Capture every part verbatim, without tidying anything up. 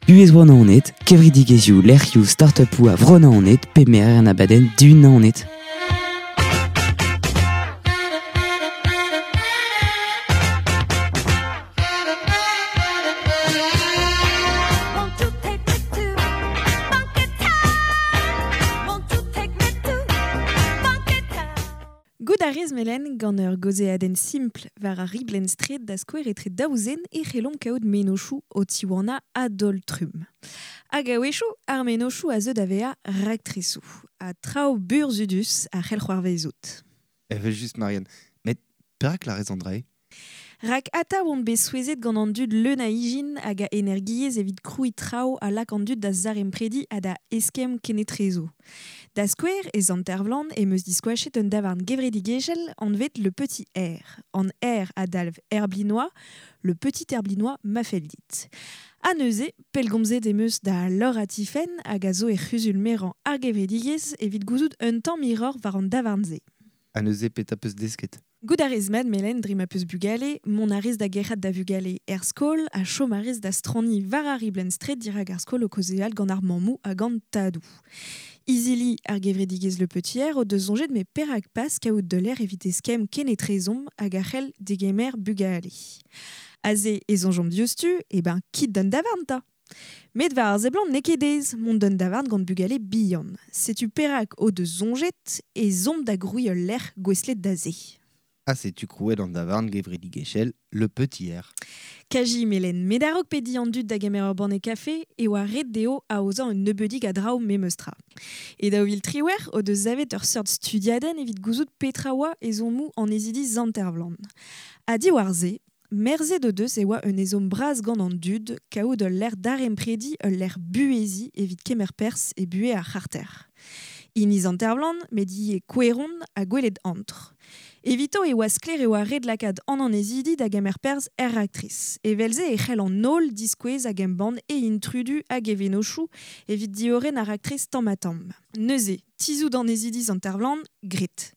Buhez bro Naoned, kevredigezhioù, lec'hioù, start-upoù a vro Naoned, pe merer an abadenn Dihun Naoned. Won't you take me to Funky Town? Won't you take me to Funky Town? Gout a rez melen gant ur gozeadenn simpl war ar riblenn straed da skouer etre daou zen e c'hellomp kaout mennozhioù o tiwanañ a-daol-trumm. Hag a-wechoù, ar mennozhioù a zeu da vezañ raktresoù, ha traoù burzhudus a c'hell c'hoarvezout. Evel just Marianne, met perak lârez an dra-se ? Rak atav on bet souezhet gant an dud leun a ijin hag a energiezh evit krouiñ traoù a lak an dud da zaremprediñ ha da eskemm kenetrezo. Da skouer, e Sant-Ervlan em eus diskoachet un davarn gevredigezhel anvet Le Petit R. An R a dalv Herblinois, Le Petit Herblinois ma fell dit. Ha neuze, pellgomzet em eus da Laura Tiffen hag a zo e c'huzul merañ ar gevredigezh evit gouzout un tamm hiroc'h war an davarn-se. Ha neuze petra peus desket ? Gout a rez mat melen dre ma peus bugale, mont a rez da gerc'hat da vugale er skol ha chom a rez da straniñ war ar riblenn straed dirak ar skol o kaozeal gant ar mammoù hag an tadoù. Izili ar gevredigezh Le Petit R o deus soñjet met perak pas kaout deuler evit eskemm kenetrezomp hag a c'hell degemer bugale. Aze e soñjomp diouzhtu, e ben kit d'an davarn 'ta. Met war ar seblant n'eo ket aes mont d'an davarn gant bugale bihan. Setu perak o deus soñjet e zomp da grouiñ ul lec'h gouestlet da se. Ha setu krouet an davarn gevredigezhel Le Petit R. Kaji melen, met a-raok pediñ an dud da gemer ur banne kafe e oa ret dezho aozañ un nebeudig a draoù memes tra. E daou vil triwec'h o deus savet ur seurt studiadenn evit gouzout petra oa ezhommoù an ezidi Sant-Ervlan. Ha diwar se, merzet o deus e oa un ezhomm bras gant an dud kaout ul lec'h daremprediñ, ul lec'h buheziñ evit kemer perzh e buhez ar c'harter. Hini Sant-Ervlan, met ivez Koueron ha gwelet antr. Evito e oa sklaer e oa ret lakaat an annezidi da gemer perzh er raktres. Evel-se e c'hell an holl diskouez hag embann e intrudu hag e vennozhioù evit diorren ar raktres tamm-ha-tamm. Neuze, tizhout annezidi Sant-Ervlan, gret.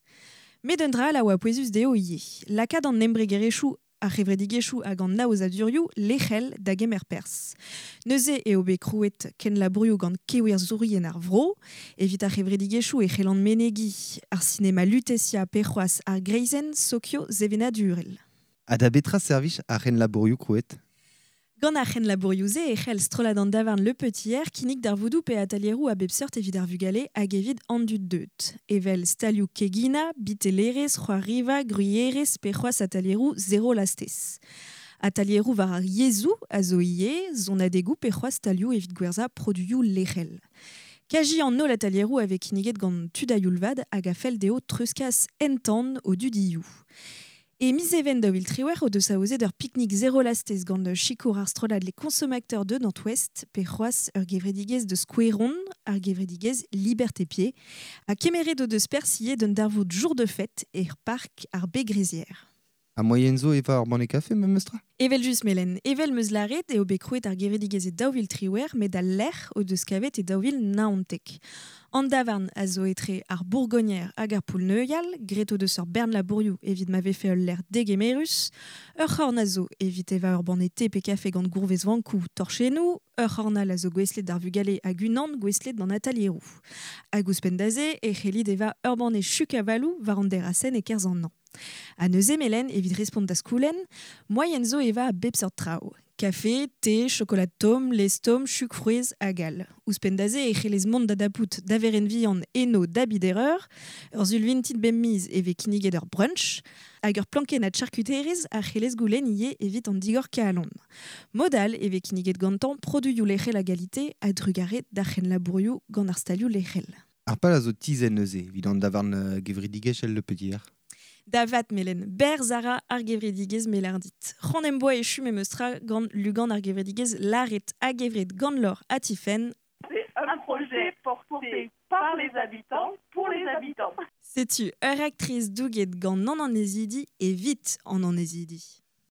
Met un dra all a oa pouezus dezho ivez. Lakaat an embregerezhioù ar c'hevredigezhioù hag an aozadurioù lec'hel da gemer perzh. Neuze eo bet krouet kenlabourioù gant kewerzhourien ar vro, evit ar c'hevredigezhioù e c'hellan menegiñ ar sinema Lutetia pe c'hoazh ar greizenn sokio sevenadurel. Ha da betra servij ar c'henlabourioù krouet ? Gant ar c'henlabourioù-se e c'hell strollad an davarn Le Petit R kinnig darvoudoù pe atelieroù a bep seurt evit ar vugale hag evit an dud deut. Evel stalioù keginañ, bitellerezh, c'hoariva, gwrierezh pe c'hoazh atelieroù zero lastez. Atelieroù war ar yezhoù a zo ivez, sonadegoù pe c'hoazh stalioù evit gwerzhañ produioù lec'hel. Kaji an holl atelieroù a vez kinniget gant tud a-youl vat hag a fell dezho treuzkas entan o dudioù. E miz Even daou vil triwec'h o deus aozet ur pique-nique zéro lastez gant sikour ar strollad les consommateurs de Nantes-Ouest pe c'hoazh ur gevredigezh deus Koueron, ar gevredigezh Liberté Pied, ha kemeret o deus perzh ivez d'un darvoud jour de fête er park ar Begrezière. Ha moaien zo evañ ur banne kafe memes tra ? Evel just melen, evel meus lâret eo bet krouet ar gevredigezh e daou vil triwec'h met al lec'h o deus kavet e daou vil naontek. An davarn a zo etre ar Bourgognère hag ar Poull-Neuial, graet o deus ur bern labourioù evit ma vefe ul lec'h degemerus, ur c'horn a zo evit evañ ur banne te pe kafe gant gourvezvankoù torchennoù, ur c'horn all a zo gouestlet d'ar vugale hag unan gouestlet d'an atelieroù. Hag ouzhpenn da se e c'hellit evañ ur banne chuk-avaloù war an derasenn e-kerzh an hañv. Ha neuze melen evit respont da skoulenn, moaien zo evañ a bep seurt traoù. Kafe, te, chocolat tomm, lez tomm, chuk frouezh hag all. Ouzhpenn da se e c'hellez mont da dapout da verenn vihan eno da bider eur, ur sul vintin bemp miz e vez kinniget ur brunch, hag ur plankennad charkuterezh a c'hellez goulenn ivez evit an digor kalon. Mod all e vez kinniget gantañ produioù lec'hel a galite a drugarez d'ar c'henlabourioù gant ar stalioù lec'hel. Ar pal a zo tizhet neuze evit an davarn, euh, gevredigezhel Le Petit R. Da vat melen, berz a ra ar gevredigezh melerdit. C'hoant em boa echu memes tra gant lugan ar gevredigezh Laret hag gevred gant Lor ha Tiffen. C'est un projet porté par les habitants, pour les habitants. Setu ur actrice douget gant an annezidi evit an annezidi.